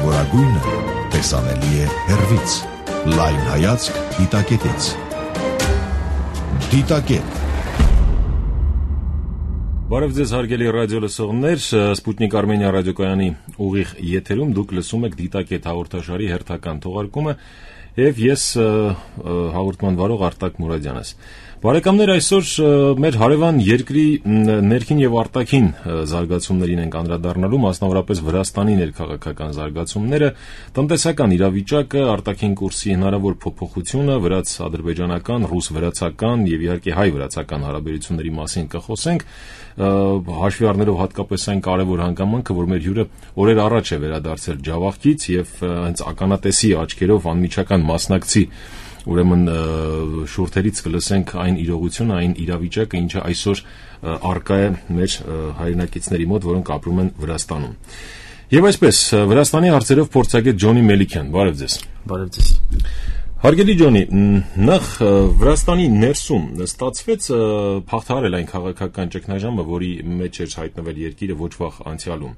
կարևորագույնը տեսանելի է հեռվից։ Լայն հայացք դիտակետից։ Դիտակետ։ Բարև ձեզ հարգելի ռադիո լսողներ, Սպուտնիկ Արմենիա ռադիոկայանի ուղիղ եթերում դուք լսում եք Դիտակետ հաղորդաշարի հերթական թողարկումը եւ ես հաղորդման վարող Արտակ Մուրադյանս։ Բարեկամներ, այսօր մեր հարևան երկրի ներքին եւ արտաքին զարգացումներին ենք անդրադառնալու, մասնավորապես Վրաստանի ներքաղաքական զարգացումները, տնտեսական իրավիճակը, արտաքին կուրսի հնարավոր փոփոխությունը, վրաց-ադրբեջանական, ռուս-վրացական եւ իհարկե հայ-վրացական հարաբերությունների մասին կխոսենք, հաշվի առնելով հատկապես այն կարևոր հանգամանքը, որ մեր հյուրը օրեր առաջ է վերադարձել Ջավախքից եւ հենց ականատեսի աչքերով անմիջական մասնակցի ուրեմն շուրթերից կլսենք այն իրողությունը, այն իրավիճակը, ինչը այսօր առկա է մեր հայրենակիցների մոտ, որոնք ապրում են Վրաստանում։ Եվ այսպես, Վրաստանի հարցերով փորձագետ Ջոնի Մելիքյան, բարև ձեզ։ Բարև ձեզ։ Հարգելի Ջոնի, նախ Վրաստանի ներսում ստացվեց փախթարել այն քաղաքական ճգնաժամը, որի մեջ էր հայտնվել երկիրը ոչ վաղ անցյալում։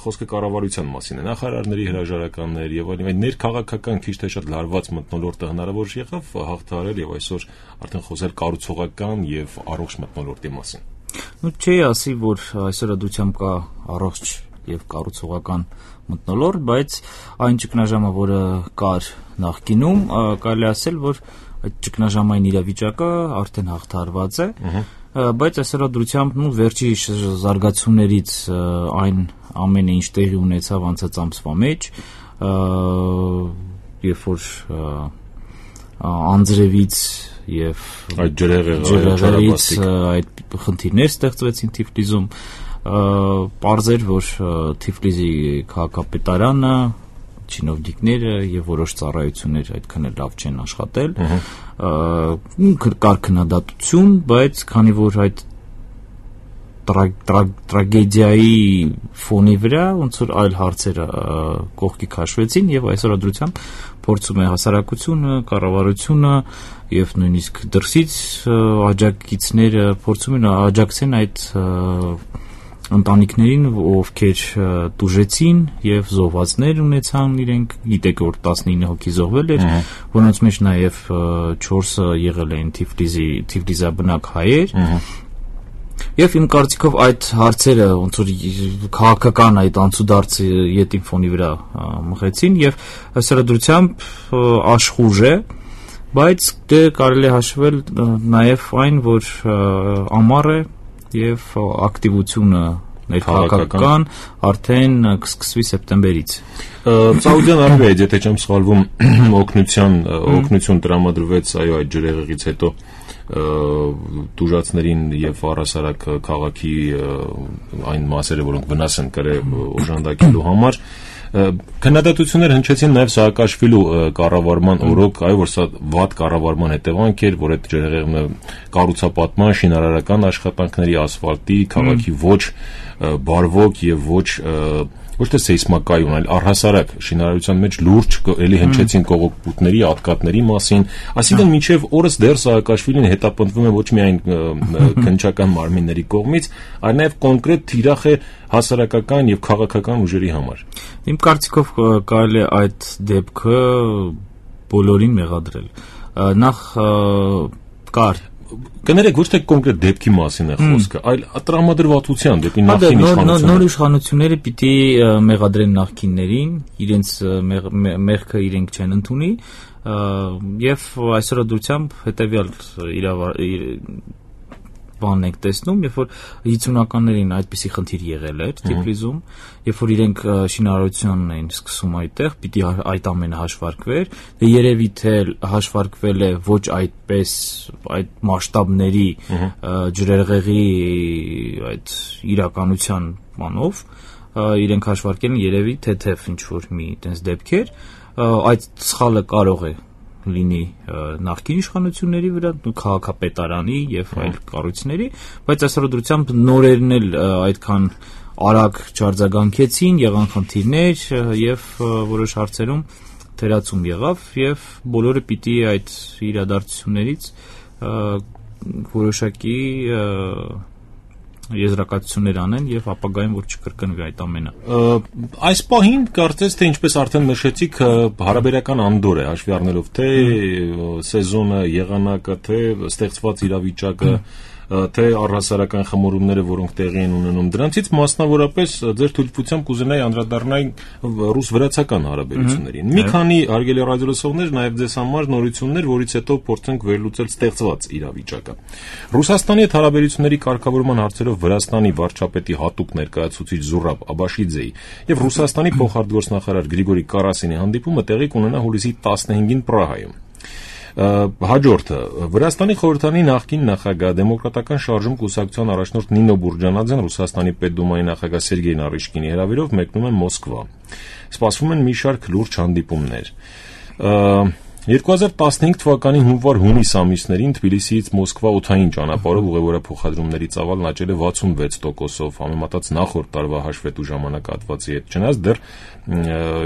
Խոսքը կառավարության մասին է, նախարարների հրաժարականներ եւ այլն, ներքաղաքական քիչ թե շատ լարված մթնոլորտը հնարավոր եղավ հաղթահարել եւ այսօր արդեն խոսել կառուցողական եւ առողջ մթնոլորտի մասին։ Չի ասի, որ այսօր ադությամբ կա առողջ եւ կառուցողական մթնոլորտ, բայց այն ճգնաժամը, որը կար նախկինում, կարելի ասել, որ այդ ճգնաժամային իրավիճակը արդեն հաղթահարված է, բայց այսօր ադրությամբ վերջի զարգացումներից այն ամենը ինչ տեղի ունեցավ անցած ամսվա մեջ, երբ որ անձրևից եւ այդ ջրեղեղից այդ խնդիրներ ստեղծվեցին Թիֆլիզում, պարզեր, որ Թիֆլիզի քաղաքապետարանը, չինովնիկները եւ որոշ ծառայություններ այդքան էլ լավ չեն աշխատել, կար քննադատություն, բայց քանի որ այդ տրագեդիայի ֆոնի վրա ոնց որ այլ հարցեր կողքի քաշվեցին եւ այսօր ադրությամբ փորձում է հասարակությունը, կառավարությունը եւ նույնիսկ դրսից աջակիցները փորձում են աջակցեն այդ ընտանիքներին, ովքեր տուժեցին եւ զոհվածներ ունեցան իրենք, գիտեք որ 19 հոգի զոհվել էր, որոնց մեջ նաեւ 4-ը եղել են Թիֆլիզաբնակ հայեր։ Եվ իմ կարծիքով այդ հարցերը ոնց որ քաղաքական այդ անցուդարձը յետին ֆոնի վրա մղեցին եւ հսրդությամբ աշխուժ է, բայց դե կարելի է հաշվել նաեւ այն, որ ամառ է եւ ակտիվությունը ներքաղաքական արդեն կսկսվի սեպտեմբերից։ Սաուդյան Արաբիայից, եթե չեմ սխալվում, օգնություն տրամադրվեց այո այդ ջրեղեղից հետո տուժածներին եւ առհասարակ քաղաքի այն մասերը, որոնք վնաս են կրել օժանդակելու համար։ Քննադատություններ հնչեցին նաև Սաակաշվիլու կառավարման օրոք, այո, որ սա վատ կառավարման հետևանք էր, որ այդ ջրեղեղը կառուցապատման, շինարարական աշխատանքների, ասֆալտի, քաղաքի ոչ բարվոք եւ ոչ թե սեյսմակայուն, այլ առհասարակ շինարարության մեջ լուրջ էլի հնչեցին կողոպուտների, ատկատների մասին, այսինքն մինչև օրս դեռ Սաակաշվիլին հետապնդվում է ոչ միայն քննչական մարմինների կողմից, այլ նաև կոնկրետ թիրախ է հասարակական եւ քաղաքական ուժերի համար։ Իմ կարծիքով կարելի է այդ դեպքը բոլորին մեղադրել։ Նախ կար կներեք ոչ թե կոնկրետ դեպքի մասին է խոսքը, այլ տրամադրվածության դեպի նախկին իշխանությունը։ Նոր իշխանությունները պիտի մեղադրեն նախկիններին, իրենց մեղքը իրենք չեն ընդունի, եւ այսօր ադրությամբ հետեւյալ բանն եք տեսնում, երբ որ 50-ականներին այդպիսի խնդիր եղել էր Թիֆլիզում, երբ որ իրենք շինարարությունն էին սկսում այդտեղ, պիտի այդ ամենը հաշվարկվեր, դե երևի թե հաշվարկվել է ոչ այդպես այդ մասշտաբների ջրեղեղի այդ իրականության բանով, իրենք հաշվարկել են երևի թեթև ինչ որ մի այդպես դեպքեր, այդ սխալը կարող է լինի նախկին իշխանությունների վրա, քաղաքապետարանի եւ այլ կառույցների, բայց այսօր դրությամբ նորերն էլ այդքան արագ չարձագանքեցին, եղան խնդիրներ եւ որոշ հարցերում թերացում եղավ եւ բոլորը պիտի այդ իրադարձություններից որոշակի եզրակացություններ անեն եւ ապագայում որ չկրկնվի այդ ամենը։ Այս պահին կարծես թե ինչպես արդեն նշեցիք, հարաբերական անդոր է հաշվի առնելով թե սեզոնը, եղանակը, թե ստեղծված իրավիճակը, թե առհասարական խմորումները, որոնք տեղի են ունենում, դրանցից մասնավորապես ձեր թույլտվությամբ կուզենայի անդրադառնալ ռուս-վրացական հարաբերություններին։ Մի քանի հարգելի ռադիոլսողներ, նաև ձեզ համար նորություններ, որից հետո փորձենք վերլուծել ստեղծված իրավիճակը։ Ռուսաստանի հետ հարաբերությունների կարգավորման հարցերով Վրաստանի վարչապետի հատուկ ներկայացուցիչ Զուրաբ Աբաշիձեի եւ Ռուսաստանի փոխարտգործնախարար Գրիգորի Կարասինի հանդիպումը տեղի կունենա հուլիսի 15-ին Պրահայում։ Հաջորդը Վրաստանի խորհրդանի նախկին նախագահ դեմոկրատական շարժում կուսակցության առաջնորդ Նինո Բուրջանաձեն Ռուսաստանի պետդումայի նախագահ Սերգեյ Նարիշկինի հրավերով մեկնում են Մոսկվա։ Սպասվում են մի շարք լուրջ հանդիպումներ։ 2015 թվականի հունվար-հունիս ամիսներին Թբիլիսիից Մոսկվա օդային ճանապարհով ուղևորափոխադրումների ծավալն աճել է 66%-ով, համեմատած նախորդ տարվա հաշվետու ժամանակահատվածի հետ։ Չնայած դեռ,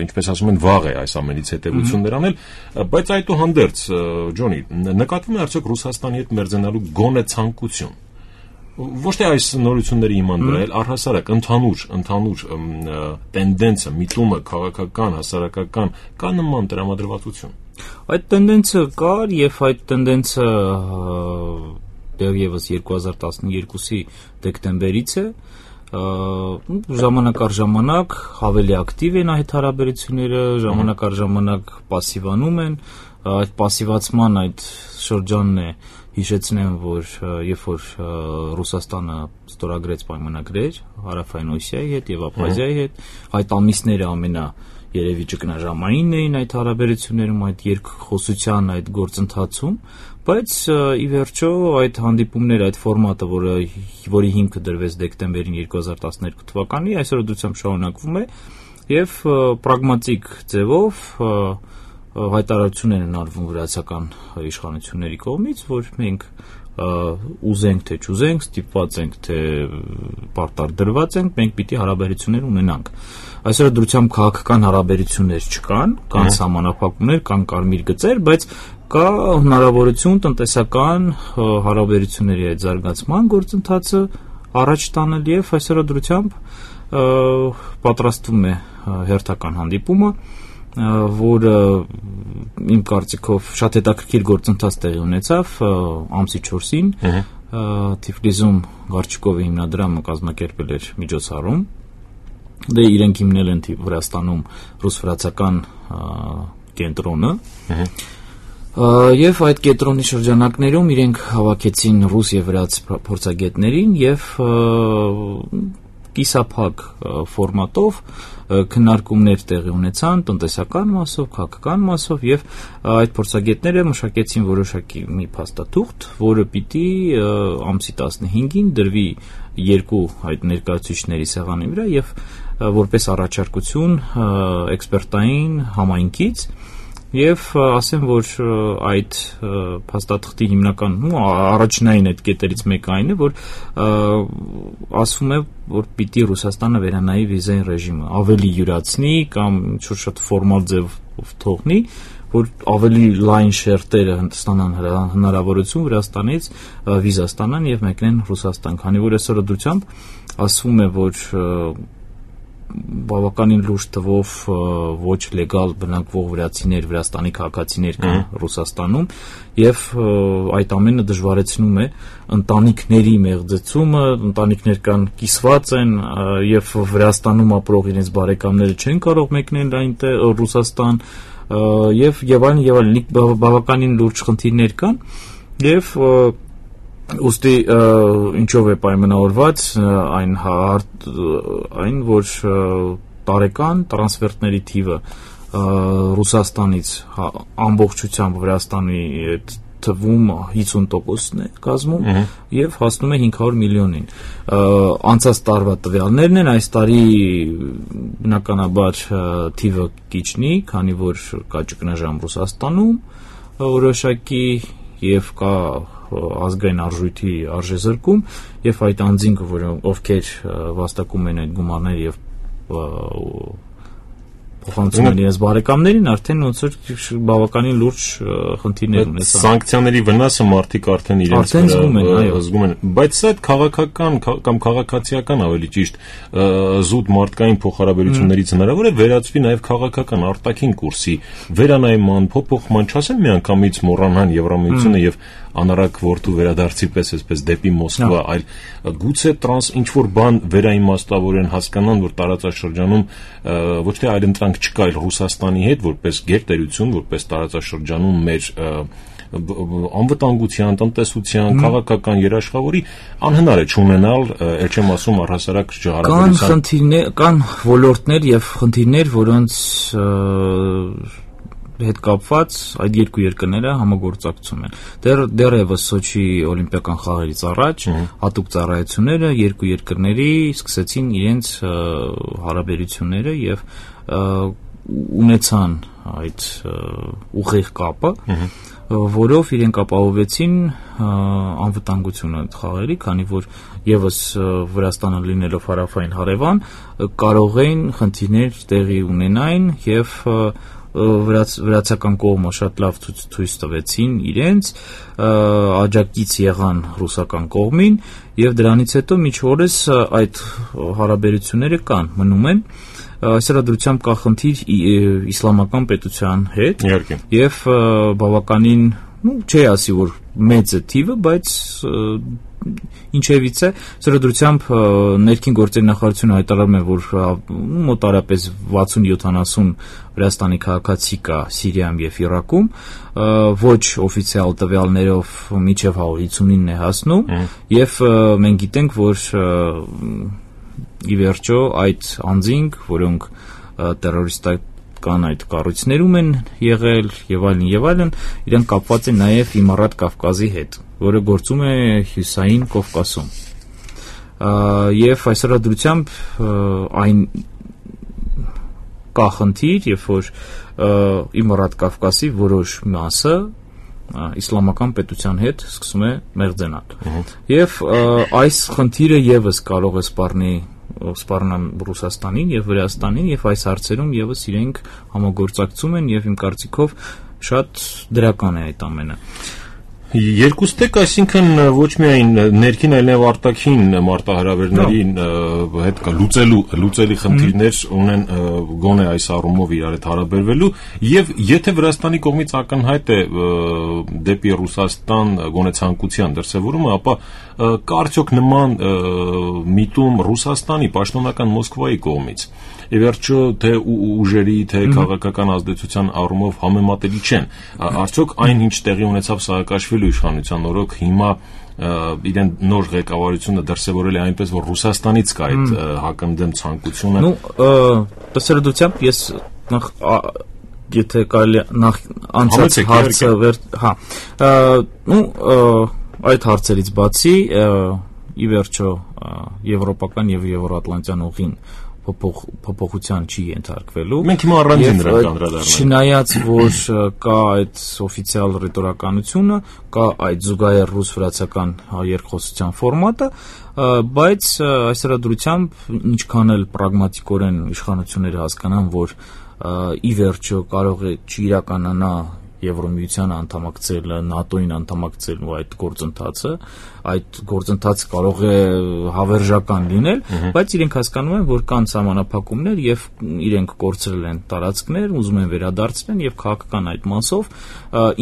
ինչպես ասում են, վաղ է այս ամենից հետևություններ անել, բայց այդուհանդերձ, Ջոնի, նկատվում է արդյոք Ռուսաստանի հետ մերձենալու գոնե ցանկություն։ Ոչ թե այս նորությունների իման վրա, այլ առհասարակ ընդհանուր տենդենսը, միտումը, քաղաքական, հասարակական կա նման տրամադրվածություն։ Այդ տենդենսը կար եւ այդ տենդենսը դեռևս 2012-ի դեկտեմբերից է, ժամանակ առ ժամանակ ավելի ակտիվ են այդ հարաբերությունները, ժամանակ առ ժամանակ պասիվանում են, այդ պասիվացման այդ շրջանն է հիշեցնեմ, որ երբ որ Ռուսաստանը ստորագրեց պայմանագրեր Հարավային Օսիայի հետ եւ Աբխազիայի հետ, այդ ամիսները երևի ճգնաժամային էին այդ հարաբերություններում, այդ երկխոսության այդ գործընթացում, բայց ի վերջո այդ հանդիպումները, այդ ֆորմատը, որի հիմքը դրվեց դեկտեմբերին 2012 թվականի, այսօր դրությամբ շարունակվում է եւ պրագմատիկ ձևով հայտարարություններ են արվում վրացական իշխանությունների կողմից, որ մենք ուզենք թե չուզենք, ստիպված ենք թե պարտար դրված ենք, մենք պիտի հարաբերություններ ունենանք։ Այսօր դրությամբ քաղաքական հարաբերություններ չկան, կան սահմանափակումներ, կան կարմիր գծեր, բայց կա հնարավորություն տնտեսական հարաբերությունների այդ զարգացման գործընթացը առաջ տանել եւ այսօր դրությամբ պատրաստվում է հերթական հանդիպումը, որը իմ կարծիքով շատ հետաքրքիր գործընթաց տեղի ունեցավ ամսի 4-ին Թիֆլիսում Գարչիկովի հիմնադրամը կազմակերպել էր միջոցառում, դե իրենք հիմնել են Վրաստանում ռուս-վրացական կենտրոնը եւ այդ կենտրոնի շրջանակներում իրենք հավաքեցին ռուս եւ վրաց փորձագետներին եւ կիսափակ ֆորմատով քննարկումներ տեղի ունեցան տնտեսական մասով, քաղաքական մասով եւ այդ փորձագետները մշակեցին որոշակի մի փաստաթուղթ, որը պիտի ամսի 15-ին դրվի երկու այդ ներկայացուցիչների սեղանի վրա եւ որպես առաջարկություն էքսպերտային համայնքից եւ ասեմ, որ այդ փաստաթղթի հիմնական առաջնային այդ կետերից մեկը այն է, որ ասվում է, որ պիտի Ռուսաստանը վերանայի վիզային ռեժիմը, ավելի յուրացնի կամ ինչ-որ շատ ֆորմալ ձևով թողնի, որ ավելի լայն շերտերը ստանան հնարավորություն Վրաստանից վիզա ստանան եւ մեկնեն Ռուսաստան, քանի որ այսօր դրությամբ ասվում է, որ բավականին լուրջ թվով ոչ լեգալ բնակվող վրացիներ, Վրաստանի քաղաքացիներ կան Ռուսաստանում եւ այդ ամենը դժվարեցնում է ընտանիքների մեղձեցումը, ընտանիքներ կան կիսված են եւ Վրաստանում ապրող իրենց բարեկամները չեն կարող մեկնել այնտեղ Ռուսաստան եւ այլն բավականին լուրջ խնդիրներ կան եւ ուստի ինչով է պայմանավորված այն որ տարեկան տրանսֆերտների թիվը Ռուսաստանից ամբողջությամբ Վրաստանի թվում 50%-ն է կազմում եւ հասնում է 500 միլիոնին։ Անցած տարվա տվյալներն են, այս տարի բնականաբար թիվը կիչնի, քանի որ կա ճգնաժամ Ռուսաստանում որոշակի եւ կա ազգային արժույթի արժեզրկում եւ այդ անձինքը, ովքեր վաստակում են այդ գումարները եւ փոխանցում են իրենց բարեկամներին, արդեն ոնց որ բավականին լուրջ խնդիրներ ունեն։ Սանկցիաների վնասը մարդիկ արդեն իրենց զգում են, բայց սա քաղաքական կամ քաղաքացիական ավելի ճիշտ զուտ մարդկային փոխհարաբերություններից հնարավոր է վերածվի նաև քաղաքական արտաքին կուրսի վերանայման, փոփոխման, չասեմ միանգամից մոռանան Եվրամիությունը եւ անառակ որդու վերադարձի պես այսպես դեպի Մոսկվա, այլ գուցե ինչ որ բան վերաիմաստավորեն, հասկանան, որ տարածաշրջանում ոչ թե այլընտրանք չկա, այլ Ռուսաստանի հետ որպես գերտերություն, որպես տարածաշրջանում մեր անվտանգության, տնտեսության, քաղաքական երաշխավորի անհնար է չունենալ, ել չեմ ասում առհասարակ հարաբերության։ Կան ոլորտներ եւ խնդիրներ, որոնց հետ կապված այդ երկու երկրները համագործակցում են։ Դեռևս Սոչի օլիմպիական խաղերից առաջ հատուկ ծառայությունները երկու երկրների սկսեցին իրենց հարաբերությունները եւ ունեցան այդ ուղիղ կապը, որով իրենք ապահովեցին անվտանգությունը խաղերի, քանի որ եւս Վրաստանը լինելով հարավային հարևան կարող էին խնդիրներ տեղի ունենային եւ վրացական կողմը շատ լավ ցույց տվեցին իրենց, աջակից եղան ռուսական կողմին եւ դրանից հետո մինչ օրս այդ հարաբերությունները կան, մնում են։ Այսրադրությամբ կա խնդիր իսլամական պետության հետ եւ բավականին, չի ասի որ մեծ է թիվը, բայց ինչևից է, սրադրությամբ ներքին գործերի նախարարությունը հայտարարում է, որ մոտարապես 60-70 Վրաստանի քաղաքացի կա Սիրիայում եւ Իրաքում, ոչ օֆիցիալ տվյալներով մինչեւ 159-ն է հասնում եւ մենք գիտենք, որ ի վերջո այդ անձինք, որոնք տերորիստական այդ կառույցներում են եղել եւ այլն, իրենք կապված են նաեւ Իմարատ Կավկազի հետ, որը գործում է Հյուսային Կովկասում։ Եվ այսրադրությամբ այն կա խնդիր, երբ որ Իմարատ Կավկասի որոշ մասը իսլամական պետության հետ սկսում է մեղձենալ։ Եվ այս խնդիրը եւս կարող է սպառնալ Ռուսաստանին եւ Վրաստանին եւ այս հարցերում եւս իրենք համագործակցում են եւ իմ կարծիքով շատ դրական է այդ ամենը։ Երկուստեք, այսինքն ոչ միայն ներքին, այլ նաև արտաքին մարտահրավերների հետ լուծելի խնդիրներ ունեն գոնե այս առումով իրար հետ հարաբերվելու, եւ եթե Վրաստանի կողմից ակնհայտ է դեպի Ռուսաստան գոնե ցանկության դրսևորումը, ապա կա արդյոք նման միտում Ռուսաստանի պաշտոնական Մոսկվայի կողմից։ Ի վերջո թե ուժերի, թե քաղաքական ազդեցության առումով համեմատելի չեն։ Արդյոք այն ինչ տեղի ունեցավ Սաակաշվիլի իշխանության օրոք հիմա իրեն նոր ղեկավարությունը դրսևորել է այնպես, որ Ռուսաստանից կա այդ հակընդդեմ ցանկությունը։ Տեսերդությամբ ես եթե կարելի նախ անցած հարցը այդ հարցերից բացի ի վերջո եվրոպական եւ եվրոատլանտյան ուղին փոփոխության չի ենթարկվելու։ Մենք հիմա առանձին դրան կանդրադառնանք։ Չնայած որ կա այդ օֆիցիալ ռետորականությունը, կա այդ զուգահեռ ռուս-վրացական երկխոսության ֆորմատը, բայց այսրադրությամբ ինչքան էլ պրագմատիկորեն իշխանությունները հասկանան, որ ի վերջո կարող է չիրականանա Եվրոմիությանը անդամակցելը, ՆԱՏՕ-ին անդամակցելու այդ գործընթացը կարող է հավերժական լինել, բայց իրենք հասկանում են, որ կան սահմանափակումներ եւ իրենք կորցրել են տարածքներ, ուզում են վերադարձնել եւ քաղաքական այդ մասով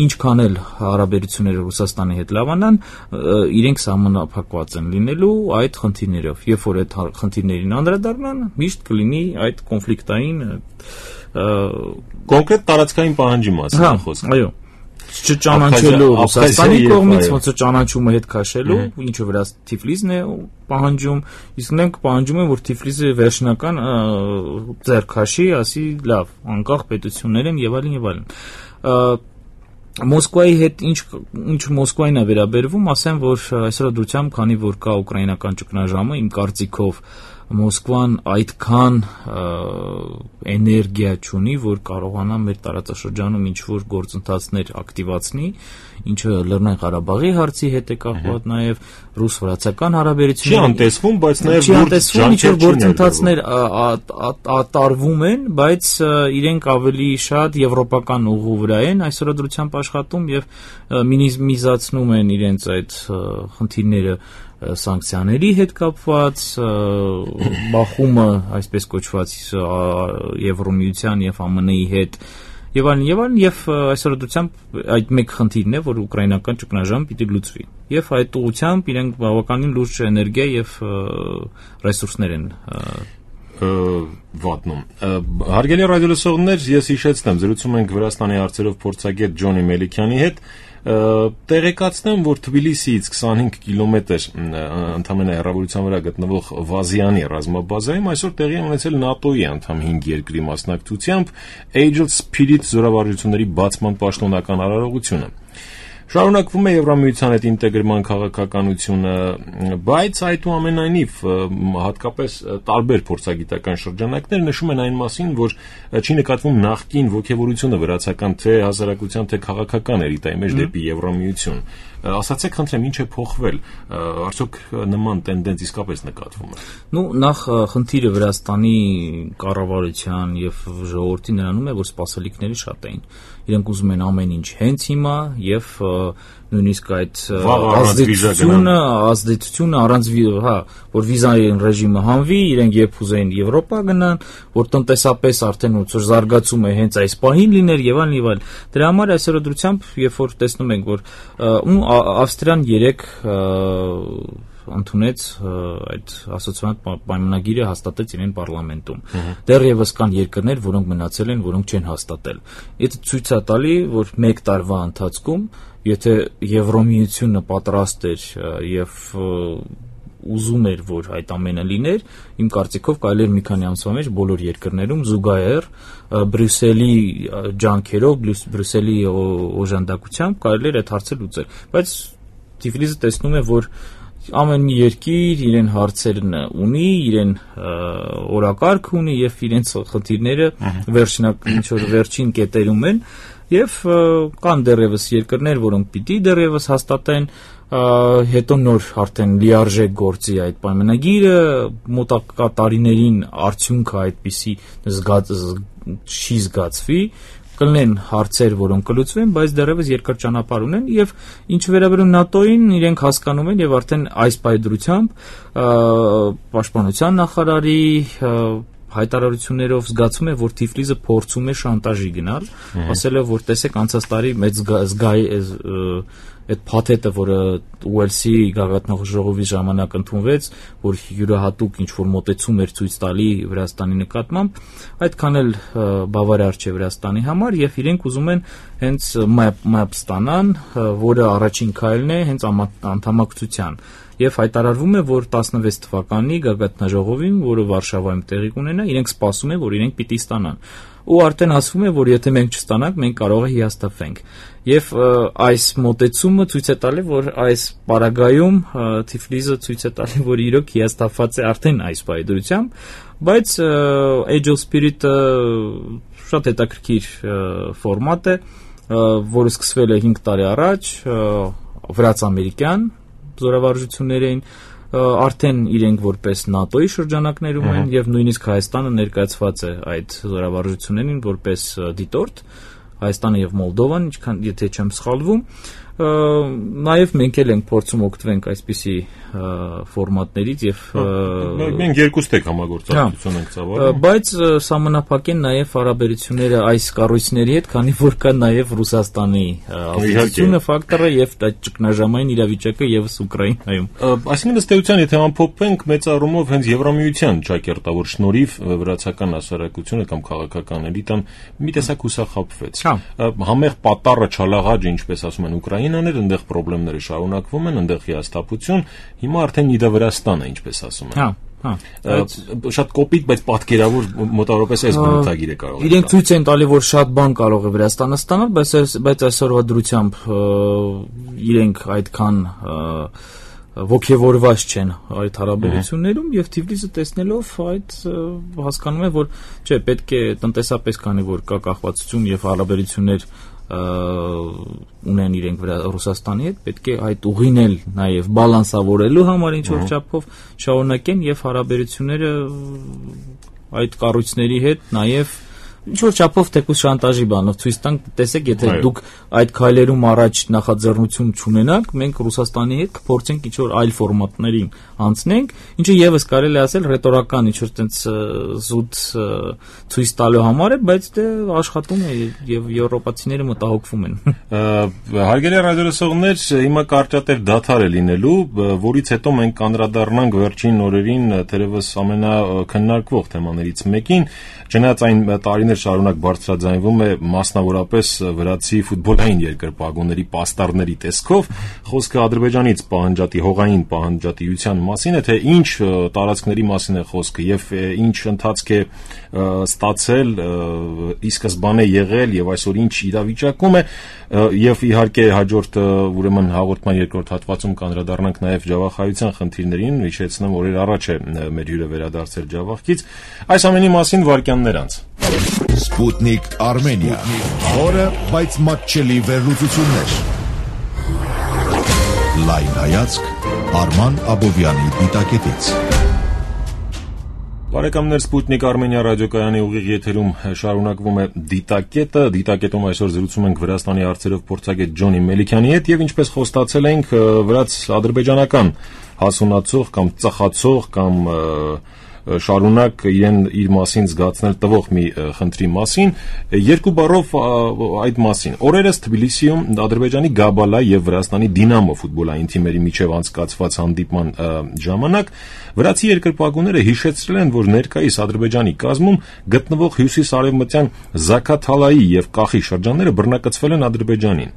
ինչքան էլ հարաբերությունները Ռուսաստանի հետ լավանան, իրենք սահմանափակված են լինելու այդ խնդիրներով։ Երբ որ այդ խնդիրներին անդրադառնան, միշտ կլինի այդ կոնֆլիկտային կոնկրետ տարածքային պահանջի մասին խոսքը։ Այո։ Չճանաչելու Ռուսաստանի կողմից, ոնց է ճանաչումը հետ քաշելու, ինչը վրա Թիֆլիսն է պահանջում, իսկ մենք պահանջում ենք, որ Թիֆլիսը վերջնական ձեռքաշի, ասի լավ, անկախ պետություններ են եւ այլն։ Մոսկվայի հետ ինչ Մոսկվային է վերաբերվում, ասեմ, որ այսօր դրությամբ, քանի որ կա ուկրաինական ճգնաժամը, իմ կարծիքով Մոսկվան այդքան էներգիա չունի, որ կարողանա մեր տարածաշրջանում ինչ-որ գործընթացներ ակտիվացնի, ինչը Լեռնային Ղարաբաղի հարցի հետ է կապված, նաև ռուս-վրացական հարաբերությունների չի անտեսվում, բայց նաև ինչ-որ գործընթացներ տարվում են, բայց իրենք ավելի շատ եվրոպական ուղու վրա են այսօրադրությամբ աշխատում եւ մինիմիզացնում են իրենց այդ խնդիրները սանկցիաների հետ կապված, բախումը, այսպես կոչված Եվրոմիության եւ ԱՄՆ-ի հետ եւ այլն եւ այսօրությամբ այդ մեկ խնդիրն է, որ ուկրաինական ճգնաժամը պիտի լուծվի եւ այդ ուղղությամբ իրենք բավականին լուրջ էներգիա եւ ռեսուրսներ են վատնում։ Հարգելի ռադիոլսողներ, ես հիշեցնեմ, զրուցում ենք Վրաստանի հարցերով փորձագետ Ջոնի Մելիքյանի հետ։ Տեղեկացնեմ, որ Թբիլիսիից 25 կիլոմետր ընդամենը հեռավորության վրա գտնվող Վազյանի ռազմաբազայում այսօր տեղի ունեցել ՆԱՏՕ-ի անդամ 5 երկրի մասնակցությամբ Agile Spirit զորավարժությունների բացման պաշտոնական արարողությունը։ Շարունակվում է Եվրամիության հետ ինտեգրման քաղաքականությունը, բայց այդուամենայնիվ հատկապես տարբեր փորձագիտական շրջանակներ նշում են այն մասին, որ չի նկատվում նախկին ոգևորությունը վրացական թե հասարակության թե քաղաքական էլիտայի մեջ դեպի Եվրամիություն։ Ասացեք, խնդրեմ, ինչ է փոխվել, արդյոք նման տենդենց իսկապես նկատվում է։ Նախ խնդիրը Վրաստանի կառավարության եւ ժողովրդի նրանում է, որ սպասելիքները շատ էին։ Իրենք ուզում են ամեն ինչ հենց հիմա եւ նույնիսկ այդ ազդեցությունը առանց որ վիզային ռեժիմը հանվի, իրենք երբ ուզեին Եվրոպա գնան, որ տնտեսապես արդեն ոնց որ զարգացում է հենց այս պահին լիներ եւ այլն։ Դրա համար այսօրադրությամբ, երբ որ տեսնում ենք, որ Ավստրիան 3 ընդունեց այդ ասոցիացիոն պայմանագիրը, հաստատեց իրեն պարլամենտում։ Դեռևս կան երկրներ, որոնք մնացել են, որոնք չեն հաստատել։ Դա ցույց է տալի, որ 1 տարվա ընթացքում, եթե Եվրոմիությունը պատրաստ էր եւ ուզում էր, որ այդ ամենը լիներ, իմ կարծիքով կարելի էր մի քանի ամսվա մեջ բոլոր երկրներում զուգահեռ Բրյուսելի ջանքերով, Բրյուսելի օժանդակությամբ կարելի էր այդ հարցը լուծել։ Բայց Թիֆլիսը տեսնում է, որ ամեն մի երկիր իրեն հարցերն ունի, իրեն օրակարգ ունի եւ իրենց խնդիրները վերջին կետերում են եւ կան դեռևս երկրներ, որոնք պիտի դեռևս հաստատեն, հետո նոր արդեն լիարժեք գործի այդ պայմանագիրը, մոտակա տարիներին արդյունքը այդպիսի չի զգացվի, կլինեն հարցեր, որոնք կլուծվեն, բայց դեռևս երկար ճանապարհ ունեն եւ ինչ վերաբերում ՆԱՏՕ-ին, իրենք հասկանում են եւ արդեն այս պայդրությամբ պաշտպանության նախարարի հայտարարություններով զգացում է, որ Թիֆլիսը փորձում է շանտաժի գնալ, ասելով, որ տեսեք անցած տարի մեծ այդ փաթեթը, որը Ուելսի գագաթնաժողովի ժամանակ ընդունվեց, որ յուրահատուկ ինչ-որ մոտեցում էր ցույց տալի Վրաստանի նկատմամբ, այդքան էլ բավարար չէ Վրաստանի համար եւ իրենք ուզում են հենց MAP ստանան, որը առաջին քայլն է հենց անդամակցության։ Եվ հայտարարվում է, որ 16 թվականի գագաթնաժողովին, որը Վարշավայում տեղի կունենա, իրենք սպասում են, որ իրենք պիտի ստանան։ Ու արդեն ասվում է, որ եթե մենք չստանանք, մենք կարող է հիասթափվենք։ Եվ այս մոտեցումը ցույց է տալի, որ այս պարագայում Թիֆլիսը ցույց է տալի, որ իրոք հիասթափված է արդեն այս պայդրությամբ, բայց Agile Spirit-ը շատ հետաքրքիր ֆորմատ է, որը սկսվել է 5 տարի առաջ, վրաց-ամերիկյան զորավարժություններ էին, արդեն իրենք որպես ՆԱՏՕ-ի շրջանակներում են եւ նույնիսկ Հայաստանը ներկայացված է այդ զորավարժություններին որպես դիտորդ, Հայաստանը եւ Մոլդովան, եթե չեմ սխալվում, նաև մենք էլ ենք փորձում օգտվենք այսպիսի ֆորմատներից եւ մենք երկուստեք համագործակցություն ենք ծավալում, բայց սահմանափակեն նաև հարաբերությունները այս կառույցների հետ, քանի որ կա նաև Ռուսաստանի ազդեցությունը ֆակտորը եւ այդ ճգնաժամային իրավիճակը եւս Ուկրաինայում։ Այսինքն ըստ էության, եթե ամփոփենք, մեծ առումով հենց Եվրամիության ճակերտավոր շնորհիվ վրացական հասարակությունը կամ քաղաքական էլիտան մի տեսակ հուսախաբվեց։ Համեղ պատառը չալաղաջ, ինչպես ասում են Ուկրաինան էր, այնտեղ խնդիրները շարունակվում են, այնտեղ հիասթափություն, հիմա արդեն իդա Վրաստանը, ինչպես ասում են։ Շատ կոպիտ, բայց պատկերավոր մոտավորապես այս բնութագիրը կարող է։ Իրենք ցույց են տալի, որ շատ բան կարող է Վրաստանը ստանալ, բայց այսօրվա դրությամբ իրենք այդքան ոգևորված չեն այդ հարաբերություններում եւ Թիֆլիսը տեսնելով այդ հասկանում է, որ չէ, պետք է տնտեսապես, քանի որ կա կախվածություն եւ հարաբերություններ ունեն իրենք Ռուսաստանի հետ, պետք է այդ ուղին էլ նաեւ բալանսավորելու համար ինչ որ չափով շարունակեն եւ հարաբերությունները այդ կառույցների հետ նաեւ ինչ որ չափով թեկուզ շանտաժի բանով ցույց տանք, տեսեք, եթե դուք այդ քայլերում առաջ նախաձեռնություն չունենաք, մենք Ռուսաստանի հետ կփորձենք ինչ որ այլ ֆորմատներին անցնենք, ինչը եւս կարելի ասել ռետորական ինչ որ տենց զուտ ցույց տալու համար է, բայց դե աշխատում է եւ եվրոպացիները մտահոգվում են։ Հարգելի ռադիոլսողներ, հիմա կարճատև դադար է լինելու, որից հետո մենք կանդրադառնանք վերջին օրերին թերևս ամենաքննարկվող թեմաներից մեկին, չնայած այն տարիներ շարունակ բարձրաձայնվում է մասնավորապես վրացի ֆուտբոլային երկրպագուների պաստառների տեսքով, խոսքը Ադրբեջանից պահանջատի հողային պահանջատիության մասին է, թե ինչ տարածքների մասին է խոսքը եւ ինչ ընթացք է ստացել, ի սկզբանե եղել եւ այսօր ինչ իրավիճակում է եւ իհարկե հաջորդ ուրեմն հաղորդման երկրորդ հատվածում կանդրադառնանք նաեւ ջավախայության խնդիրներին, հիշեցնեմ, օրեր առաջ է մեր հյուրը վերադարձել ջավախից, այս ամենի մասին վարքյաններ անց։ Sputnik Armenia. Խորը, բայց մատչելի վերլուծություններ։ Լայն հայացք Արման Աբովյանի դիտակետից։ Բարեկամներ, Sputnik Armenia ռադիոկայանի ուղիղ եթերում շարունակվում է դիտակետը։ Դիտակետում այսօր զրուցում ենք Վրաստանի հարցերով փորձագետ Ջոնի Մելիքյանի հետ եւ ինչպես խոստացել ենք, վրաց ադրբեջանական հասունացող կամ ծխացող կամ շարունակ իր մասին զգացնել տվող մի խնդրի մասին, երկու բառով այդ մասին։ Օրերս Թբիլիսիում Ադրբեջանի Գաբալա եւ Վրաստանի Դինամո ֆուտբոլային թիմերի միջև անցկացված հանդիպման ժամանակ վրացի երկրպագուները հիշեցրել են, որ ներկայիս Ադրբեջանի կազմում գտնվող հյուսիսարևմտյան Զաքաթալայի եւ Կախի շրջանները բռնակցվել են Ադրբեջանին։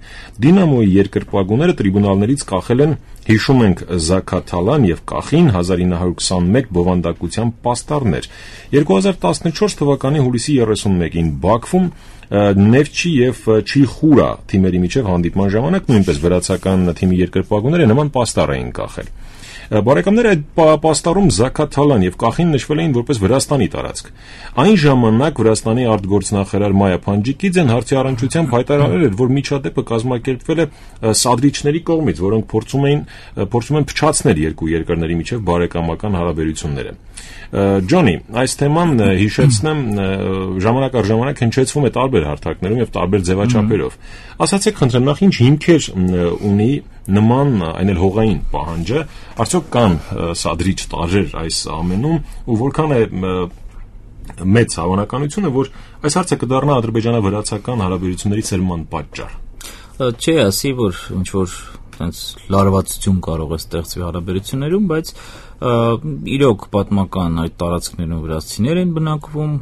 Դինամոյի երկրպագուները տրիբունալներից կախել են, հիշում ենք, Զաքաթալան եւ Կախին 1921 բովանդակության պաստառներ։ 2014 թվականի հուլիսի 31-ին Բաքվում Նեֆչի եւ Չիխուրա թիմերի միջև հանդիպման ժամանակ նույնպես վրացական թիմի երկրպագուները նման պաստառ էին կախել։ Բարեկամներ, այդ պաստառում Զաքաթալան եւ Կախին նշվել էին որպես Վրաստանի տարածք։ Այն ժամանակ Վրաստանի արտգործնախարար Մայա Փանջիկիձեն հարցի առնչությամբ հայտարարել էր, որ միջադեպը կազմակերպվել է սադրիչների կողմից, որոնք փորձում են փչացնել երկու երկրների միջև բարեկամական հարաբերությունները։ Ջոնի, այս թեման հիշեցնեմ, ժամանակ առ ժամանակ հնչեցվում է տարբեր հարթակներում եւ տարբեր ձևաչափերով։ Ասացեք, խնդրեմ, նախ ինչ հիմքեր ունի նման այն էլ հողային պահանջը, արդյոք կան սադրիչ տարրեր այս ամենում ու որքան է մեծ հավանականությունը, որ այս հարցը կդառնա ադրբեջանա-վրացական հարաբերությունների սերման պատճառ։ Չէ, ասի, որ ինչ որ այնց լարվածություն կարող է ստեղծվի հարաբերություններում, բայց իրոք պատմական այդ տարածքներում վրացիներ են բնակվում,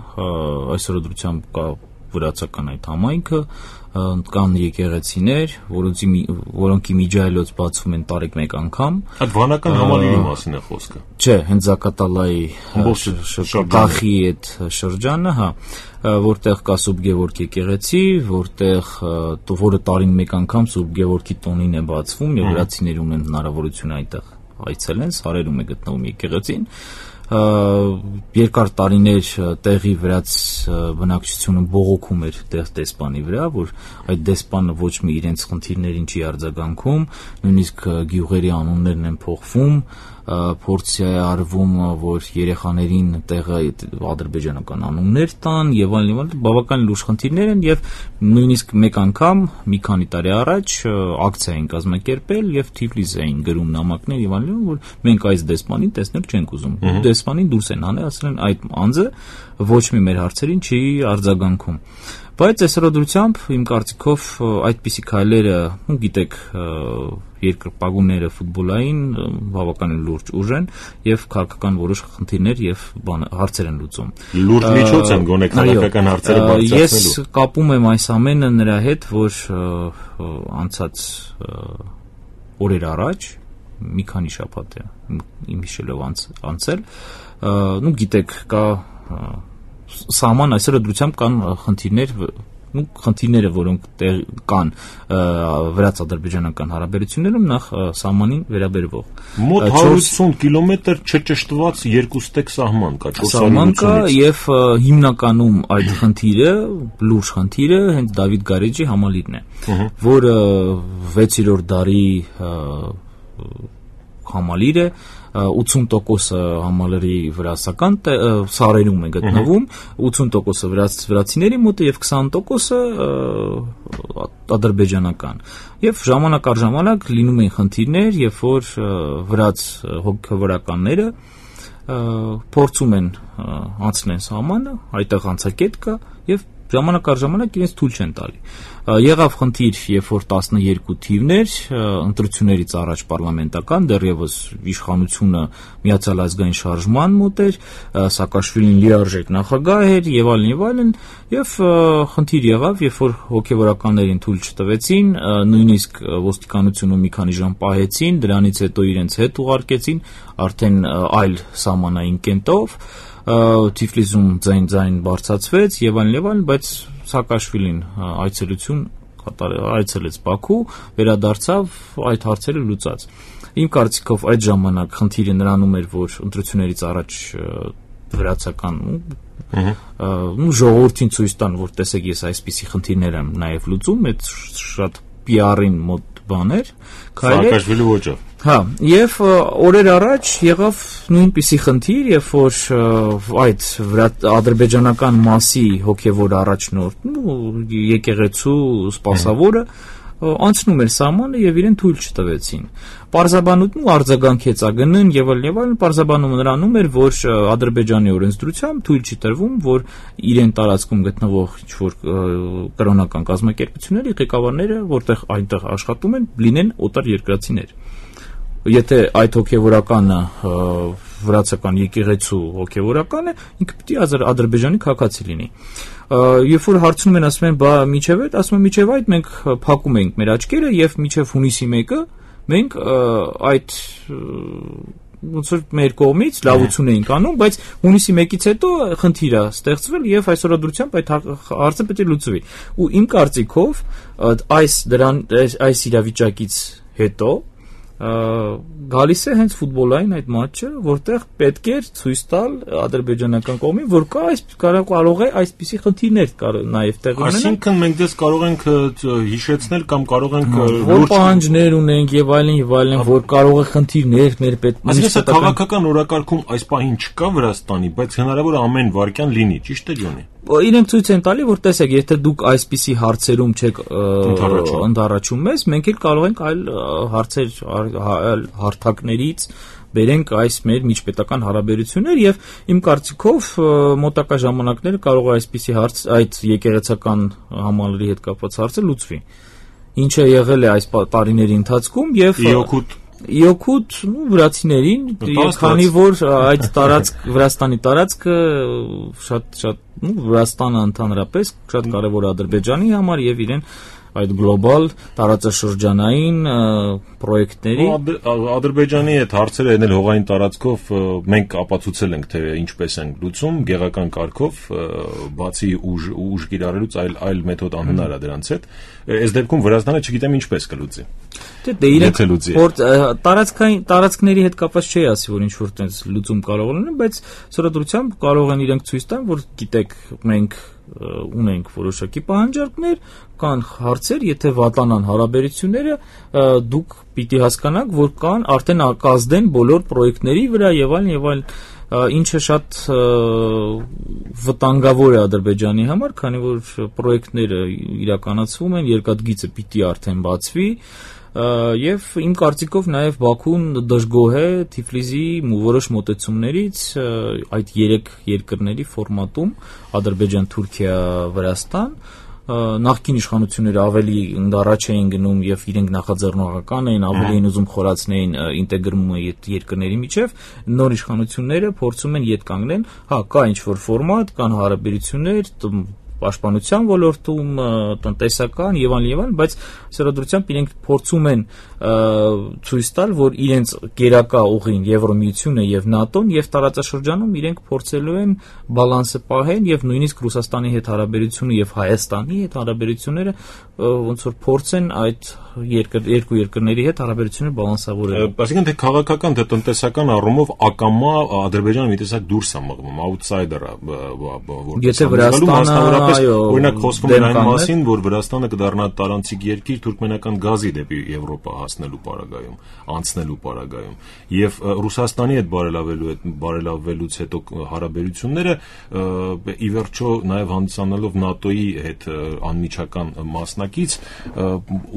այսօր դրությամբ կա վրացական այդ համայնքը, կան եկեղեցիներ, որոնք իմիջայլոց բացվում են տարեք մեկ անգամ։ Այդ վանական համալիրի մասին է խոսքը։ Չէ, հենց Զաքաթալայի Կախի այդ շրջանը, հա, որտեղ կա Սուրբ Գևորգ եկեղեցի, որը տարին մեկ անգամ Սուրբ Գևորգի տոնին է բացվում եւ վրացիներ ունեն հնարավորություն այդտեղ այցելեն, Սարերում է գտնվում եկեղեցին։ Երկար տարիներ տեղի վրաց բնակչությունը բողոքում էր տեղ դեսպանի վրա, որ այդ դեսպանը ոչ մի իրենց խնդիրներին չի արձագանքում, նույնիսկ գյուղերի անուններն են փոխվում, փորձ է արվում, որ երեխաներին տեղը ադրբեջանական անուններ տան եւ այլն, բավական լուրջ խնդիրներ են եւ նույնիսկ մեկ անգամ մի քանի տարի առաջ ակցիա են կազմակերպել եւ Թիֆլիս էին գրում նամակներ եւ այլն, որ մենք այս դեսպանին տեսնել չենք ուզում։ Դեսպանին դուրս են հանել, ասել են այդ անձը ոչ մի մեր հարցերին չի արձագանքում։ Բայց այսօրությամբ իմ կարծիքով այդպիսի քայլերը, գիտեք, երկրպագուները ֆուտբոլային բավականին լուրջ ուժ են եւ քաղաքական որոշ խնդիրներ եւ հարցեր են լուծում։ Լուրջ միջոց են գոնե քաղաքական հարցերը բարձրացնելու։ Ես կապում եմ այս ամենը նրա հետ, որ անցած օրեր առաջ մի քանի շաբաթ է իմ հիշելով անցել, գիտեք, կա սահման այսօր դրությամբ կան խնդիրներ խնդիրները, որոնք կան վրաց-ադրբեջանական հարաբերություններում, նախ սահմանին վերաբերվող։ Մոտ 180 կիլոմետր չճշտված երկուստեք սահման կա 480-ից։ Եվ հիմնականում այդ խնդիրը, լուրջ խնդիրը հենց Դավիթ Գարեջի համալիրն է, որը 6-րդ դարի համալիր է, 80% համալիրի վրացական սարերում է գտնվում, 80% վրացիների մոտ է եւ 20% ադրբեջանական։ Եվ ժամանակ առ ժամանակ լինում են խնդիրներ, երբ որ վրաց հոգևորականները փորձում են անցնել սահմանը, այդտեղ անցակետ կա եւ ժամանակ առ ժամանակ իրենց թույլ չեն տալի։ Եղավ խնդիր, երբ որ 12 թիվներ ընտրություններից առաջ պարլամենտական, դեռևս իշխանությունը Միացյալ ազգային շարժման մոտ էր, Սաակաշվիլին լիարժեք նախագահ էր եւ այլն, եւ խնդիր եղավ, երբ որ հոգեվորականներին թույլ չտվեցին, նույնիսկ ոստիկանությունը մի քանի ժամ պահեցին, դրանից հետո իրենց հետ ուղարկեցին արդեն այլ սահմանային կենտով, Թիֆլիսում ձայն բարձրացվեց եւ այլն, բայց Սաակաշվիլին այցելեց Բաքու, վերադարձավ, այդ հարցերը լուծած։ Իմ կարծիքով այդ ժամանակ խնդիրը նրանում էր, որ ընտրություններից առաջ վրացական ժողովրդին ցույց տան, որ տեսեք, ես այսպիսի խնդիրներ եմ նաև լուծում, այդ շատ PR-ին մոտ բաներ, Սաակաշվիլի ոճով։ Հա, եւ օրեր առաջ եղավ նույնպիսի խնդիր, երբ որ այդ ադրբեջանական մասի հոգևոր առաջնորդ, եկեղեցու սպասավորը անցնում էր սահմանը եւ իրեն թույլ չտվեցին։ Պարզաբանություն արձագանքեց ԱԳՆ-ն եւ այլն, պարզաբանումը նրանում էր, որ Ադրբեջանի օրենսդրությամբ թույլ չի տրվում, որ իրեն տարածքում գտնվող ինչ-որ կրոնական կազմակերպությունների ղեկավարները, որտեղ այնտեղ աշխատում են, լինեն օտար երկրացիներ։ Եթե այդ հոգևորականը վրացական եկեղեցու հոգևորական է, ինքը պիտի Ադրբեջանի քաղաքացի լինի։ Երբ որ հարցնում են, ասում են, բա միջև այդ, ասում են, միջև այդ մենք փակում ենք մեր աչքերը եւ միջև հունիսի 1-ը մենք այդ ոնց որ մեր կողմից լավություն էինք անում, բայց հունիսի 1-ից հետո խնդիր է ստեղծվել եւ այսօրադրությամբ այդ հարցը պետք է լուծվի։ Ու իմ կարծիքով այս իրավիճակից հետո գալիս է հենց ֆուտբոլային այդ մատչը, որտեղ պետք է ցույց տալ ադրբեջանական կողմին, որ կարող է այսպիսի խնդիրներ նաև տեղ ունենալ։ Այսինքն մենք դες կարող ենք հիշեցնել կամ կարող ենք որ պահանջներ ունենք եւ այլն, որ կարող է խնդիրներ մեր Այսինքն քաղաքական օրակարգում այս պահին չկա Վրաստանի, բայց հնարավոր է ամեն վարքյան լինի, ճիշտ է Ջոնի։ Իրենք ցույց են տալի, որ տեսեք, եթե դուք այսպիսի հարցերում չեք ընդառաջում մեզ, մենք էլ կարող ենք այլ հարցեր հարթակներից բերենք այս մեր միջպետական հարաբերություններ եւ իմ կարծիքով մոտակա ժամանակները կարող է այսպիսի հարց այդ եկեղեցական համալիրի հետ կապված հարցը լուծվի։ Ինչը եղել է այս տարիների ընթացքում եւ Իոքուտ վրացիներին, քանի որ այդ Վրաստանի տարածքը շատ Վրաստանը ընդհանրապես շատ կարևոր է Ադրբեջանի համար եւ իրեն այդ գլոբալ տարածաշրջանային պրոյեկտների Ադրբեջանի հետ հարցերը ենել հողային տարածքով մենք ապացուցել ենք թե ինչպես են լուծում գեղական կարգով բացի ուժ կիրառելուց այլ մեթոդ անհնար է դրանց հետ այս դեպքում Վրաստանը չգիտեմ ինչպես կլուծի Դե իրենք որ տարածքների հետ կապված չի ասի որ ինչ որ տես լուծում կարող լինի բայց սովորությամբ կարող են իրենք ցույց տան որ գիտեք մենք ունենք որոշակի պահանջարկներ կան հարցեր եթե վատանան հարաբերությունները դուք պիտի հասկանաք որ կան արդեն կազդեն բոլոր պրոյեկտների վրա եւ այլն ինչը շատ վտանգավոր է Ադրբեջանի համար քանի որ պրոյեկտները իրականացվում են երկաթգիծը պիտի արդեն բացվի Եվ իմ կարծիքով նաև Բաքուն դժգոհ է Թիֆլիսի որոշ մոտեցումներից այդ երեք երկրների ֆորմատում Ադրբեջան, Թուրքիա, Վրաստան նախկին իշխանությունները ավելի ընդառաջ էին գնում եւ իրենք նախաձեռնողական էին ավելի են ուզում խորացնեին ինտեգրումը երկրների միջև նոր իշխանությունները փորձում են ետ կանգնել հա կա ինչ որ ֆորմատ կան հարաբերություններ պաշտպանության ոլորտում, տնտեսական եւ այլն, բայց սրադրությամբ իրենք փորձում են ցույց տալ, որ իրենց գերակա ուղին Եվրոմիությունը եւ ՆԱՏՕ-ն եւ տարածաշրջանում իրենք փորձելու են բալանսը պահեն եւ նույնիսկ Ռուսաստանի հետ հարաբերությունը եւ Հայաստանի հետ հարաբերությունները ոնց որ փորձեն այդ երկու երկրների հետ հարաբերությունները բալանսավորել։ Այսինքն թե քաղաքական թե տնտեսական առումով ակամա Ադրբեջանը մի տեսակ դուրս է մղվում, outsider-ը, Եթե Վրաստանը, օրինակ խոսվում էր այն մասին, որ Վրաստանը կդառնա տարանցիկ երկիր թուրքմենական գազի դեպի Եվրոպա հասնելու պարագայում, անցնելու պարագայում, եւ Ռուսաստանի հետ բարելավելուց հետո հարաբերությունները ի վերջո նաեւ հանդիսանալով ՆԱՏՕ-ի հետ անմիջական մասնակից,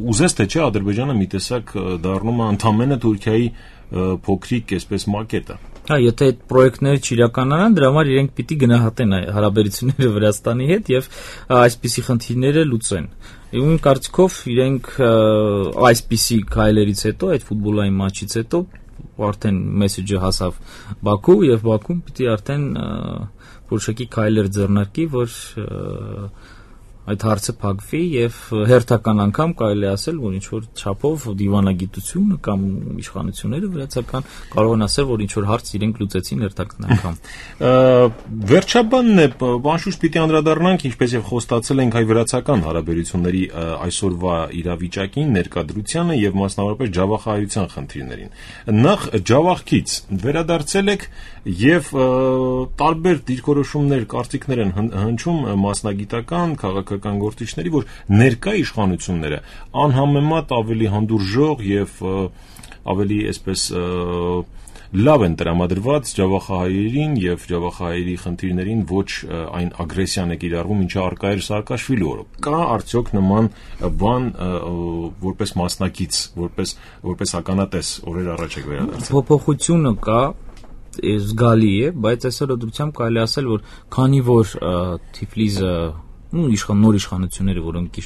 ուզես թե չէ Ադրբեջանը մի տեսակ դառնում է ընդամենը Թուրքիայի փոքրիկ այսպես մակետը։ Հա, եթե այդ պրոյեկտները չիրականանան, դրա համար իրենք պիտի գնահատեն հարաբերությունները Վրաստանի հետ եւ այսպիսի խնդիրները լուծեն։ Իմ կարծիքով իրենք այսպիսի քայլերից հետո, այդ ֆուտբոլային մատչից հետո արդեն մեսեջը հասավ Բաքու եւ Բաքուն պիտի արդեն որոշակի քայլեր ձեռնարկի, որ այդ հարցը փակվի եւ հերթական անգամ կարելի ասել, որ ինչ որ չափով դիվանագիտությունը կամ իշխանությունները վրացական կարող են ասել, որ ինչ որ հարց իրենք լուծեցին հերթական անգամ։ Վերջաբանն է, անշուշտ պիտի անդրադառնանք, ինչպես եւ խոստացել ենք, հայ վրացական հարաբերությունների այսօրվա իրավիճակին, ներկայդրությանը եւ մասնավորապես ջավախայության խնդիրներին։ Նախ ջավախքից վերադարձել եք եւ տարբեր դիրքորոշումներ, կարծիքներ են հնչում մասնագիտական, քաղաքական գործիչների, որ ներկա իշխանությունները անհամեմատ ավելի հանդուրժող եւ ավելի այսպես լավ են տրամադրված ջավախահայերին եւ ջավախահայերի խնդիրներին ոչ այն ագրեսիան է կիրառվում, ինչը արկա էր Սաակաշվիլի օրոք։ Կա արդյոք նման բան որպես մասնակից, որպես ականատես օրեր առաջ եք վերադարձել։ Փոփոխությունը կա, զգալի է, բայց այսօր դրությամբ կարելի ասել, որ քանի որ Թիֆլիսը նոր իշխանությունները, որոնք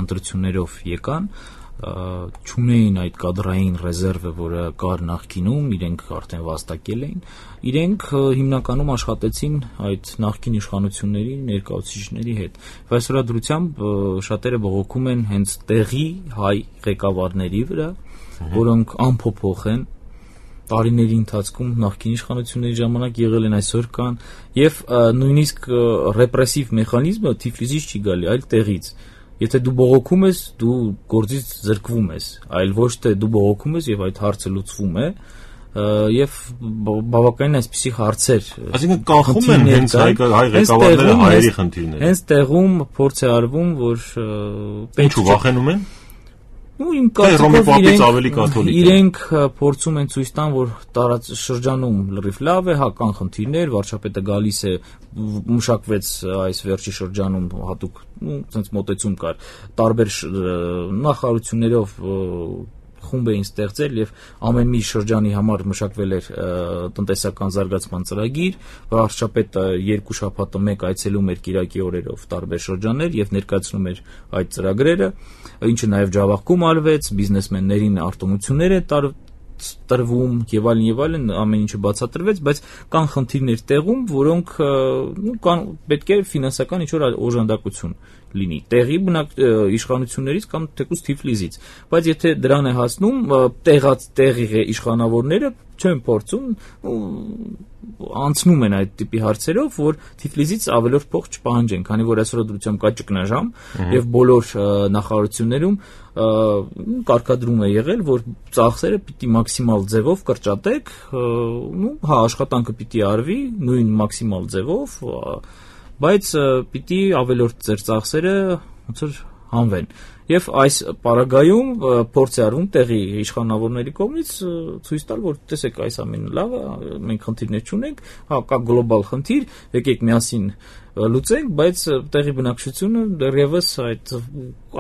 ընտրություններով եկան, չունեին այդ կադրային ռեզերվը, որը կար նախկինում, իրենք արդեն վաստակել էին, իրենք հիմնականում աշխատեցին այդ նախկին իշխանությունների ներկայացուցիչների հետ։ Այսօր դրությամբ շատերը բողոքում են հենց տեղի հայ ղեկավարների վրա, որոնք անփոփոխ են տարիների ընթացքում նախկին իշխանությունների ժամանակ եղել են, այսօր կան, եւ նույնիսկ ռեպրեսիվ մեխանիզմը Թիֆլիսից չի գալի, այլ տեղից։ Եթե դու բողոքում ես, դու գործից զրկվում ես, այլ ոչ թե դու բողոքում ես եւ այդ հարցը լուծվում է, եւ բավականին այսպիսի հարցեր։ Այսինքն կանխում են հենց հայ ղեկավարները հայերի խնդիրները։ Հենց տեղում փորձ է արվում, որ ինչու վախենում են։ Իմ կարծիքով իրենք փորձում են ցույց տան, որ տարածաշրջանում լրիվ լավ է, հա կան խնդիրներ, վարչապետը գալիս է, մշակվեց այս վերջի շրջանում հատուկ, sense մոտեցում կար, տարբեր նախարարություններով խումբ էին ստեղծել եւ ամեն մի շրջանի համար մշակվել էր տնտեսական զարգացման ծրագիր, վարչապետը 2 շաբաթը մեկ այցելում էր կիրակի օրերով տարբեր շրջաններ եւ ներկայացնում էր այդ ծրագրերը, ինչը նաեւ ջավախքում արվեց, բիզնեսմեններին արտոնություններ է տրվում եւ այլն, ամեն ինչը բացատրվեց, բայց կան խնդիրներ տեղում, որոնք պետք է ֆինանսական ինչ-որ օժանդակություն լինի տեղի իշխանություններից կամ թեկուզ Թիֆլիսից, բայց եթե դրան է հասնում, տեղի իշխանավորները չեն փորձում անցնում են այդ տիպի հարցերով, որ Թիֆլիսից ավելորդ փող չպահանջեն, քանի որ այսօր դրությամբ կա ճգնաժամ եւ բոլոր նախարարություններում կարգադրում է եղել, որ ծախսերը պիտի մաքսիմալ ձևով կրճատեք, հա աշխատանքը պիտի արվի նույն մաքսիմալ ձևով, բայց պիտի ավելորդ ձեր ծախսերը ոնց որ հանվեն։ Եվ այս պարագայում փորձ է արվում տեղի իշխանավորների կողմից ցույց տալ, որ տեսեք այս ամենը լավ է, մենք խնդիրներ չունենք, հա կա գլոբալ խնդիր, եկեք միասին լուծենք, բայց տեղի բնակչությունը դեռևս այդ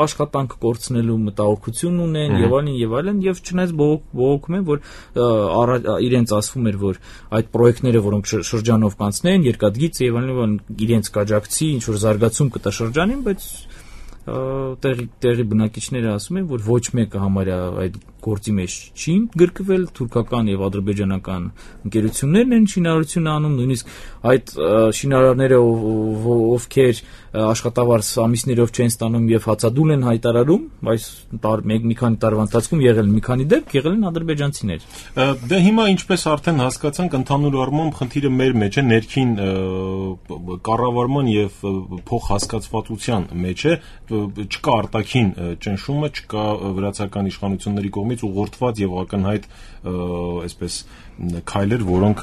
աշխատանք կորցնելու մտահոգություն ունեն եւ այլն եւ չնայած բողոքում են, որ իրենց ասվում էր, որ այդ պրոյեկտները, որոնք շրջանով կանցնեն, երկաթգիծ եւ այլն իրենց կաջակցի, ինչ որ զարգացում կտա շրջանին, բայց տեղի բնակիչները ասում են, որ ոչ մեկը համարյա այդ գործի մեջ չի գրկվել, թուրքական եւ ադրբեջանական ընկերություններն են շինարարությունը անում, նույնիսկ այդ շինարարները, ովքեր աշխատավարձ ամիսներով չեն ստանում եւ հացադուլ են հայտարարում, այս մի քանի տարվա ընթացքում եղել են մի քանի դեպք, եղել են ադրբեջանցիներ։ Դե հիմա ինչպես արդեն հասկացանք, ընդհանուր առմամբ խնդիրը մեր մեջ է, ներքին կառավարման եւ փոխհասկացվածության մեջ է, չկա արտաքին ճնշումը, չկա վրացական իշխանությունների կողմից ուղղորդված եւ ակնհայտ այսպես քայլեր, որոնք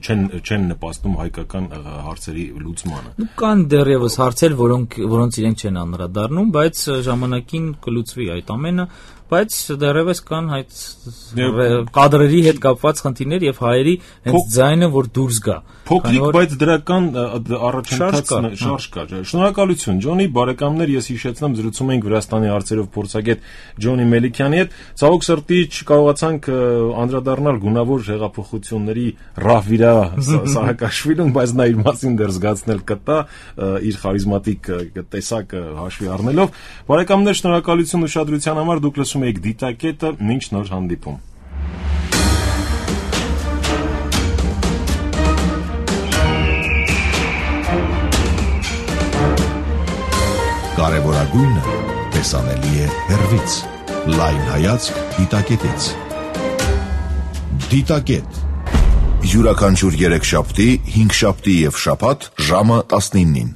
չեն նպաստում հայկական հարցերի լուծմանը։ Կան դեռևս հարցեր, որոնց իրենք չեն անդրադառնում, բայց ժամանակին կլուծվի այդ ամենը, բայց դեռևս կան այդ կադրերի հետ կապված խնդիրներ եւ հայերի հենց ձայնը, որ դուրս գա։ Փոքրիկ, բայց դրական առաջընթաց շարժ կա։ Շնորհակալություն, Ջոնի, բարեկամներ, ես հիշեցնեմ, զրուցում ենք Վրաստանի հարցերով փորձագետ Ջոնի Մելիքյանի հետ։ Ցավոք սրտի չկարողացանք անդրադառնալ գունավոր հեղափոխությունների Ռահվիրա Սահակաշվիլուն, բայց նա իր մասին դեռ զգացնել կտա իր խարիզմատիկ տեսակը հաշվի առնելով։ Բարեկամներ, շնորհակալություն ուշադրության համար, դուք լսում եք Դիտակետը, մինչ նոր հանդիպում։ Կարևորագույնը տեսանելի է հեռվից։ Լայն հայացք Դիտակետից։ Դիտակետ։ Յուրաքանչյուր 3 շաբթի, 5 շաբթի եւ շաբաթ ժամը 19-ին։